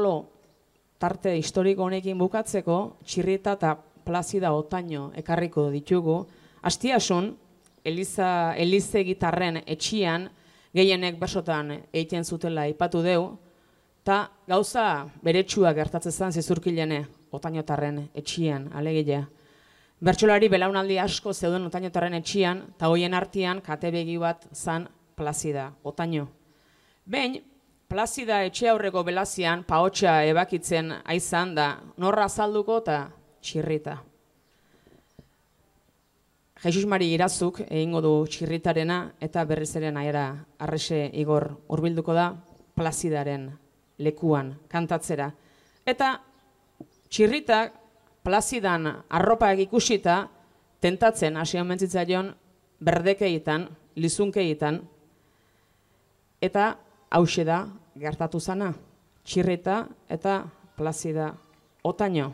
arlo tarte historiko honekin bukatzeko, Txirrita eta Plazida Otaño ekarriko ditugu. Astiasun, Elize gitarren etxian, gehienek bersotan egiten zutela aipatu deu, eta gauza beretsua gertatzen zen zizurkilene Otañotarren etxian, alegia. Bertsolari belaunaldi asko zeuden Otañotarren etxian, eta hoien artean kate begi bat zan Plazida Otaño. Behin, Plazida etxe aurreko belazian pahotsa ebakitzen aizan da norra azalduko eta Txirrita. Jesus Mari Irazuk egingo du Txirritarena eta berriz ere Naiara Arrese Igor hurbilduko da Plazidaren lekuan kantatzera. Eta Txirrita Plazidan arropak ikusita tentatzen hasi omen zitzaion berdekeitan, lizunkeitan, eta hauxe da gertatu zana, Txirrita eta Plazida Otaño.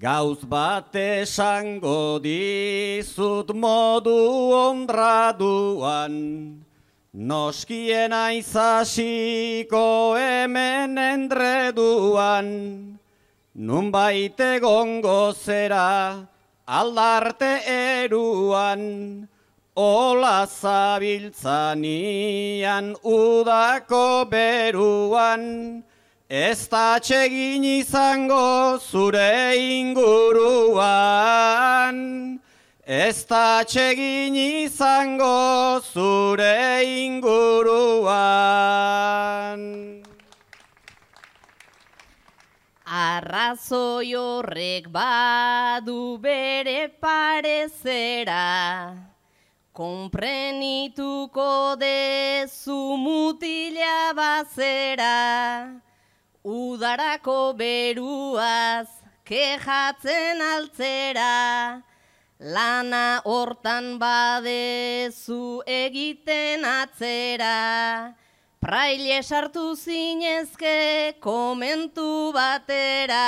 Gauz bat esango dizut modu honraduan, noskien aizasiko hemen endreduan, nunbait egongo zera aldarte eruan, ola zabiltzanian udako beruan, ez da atsegin izango zure inguruan, ez da atsegin izango zure inguruan. Arrazoi horrek badu bere parezera, konprenituko dezu mutila bazera, udarako beruaz kejatzen altzera, lana hortan badezu egiten atzera, praile sartu zinezke komentu batera,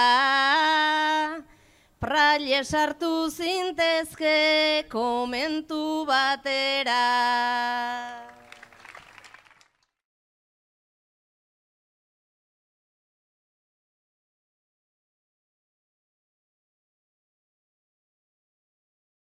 praile sartu zintezke komentu batera.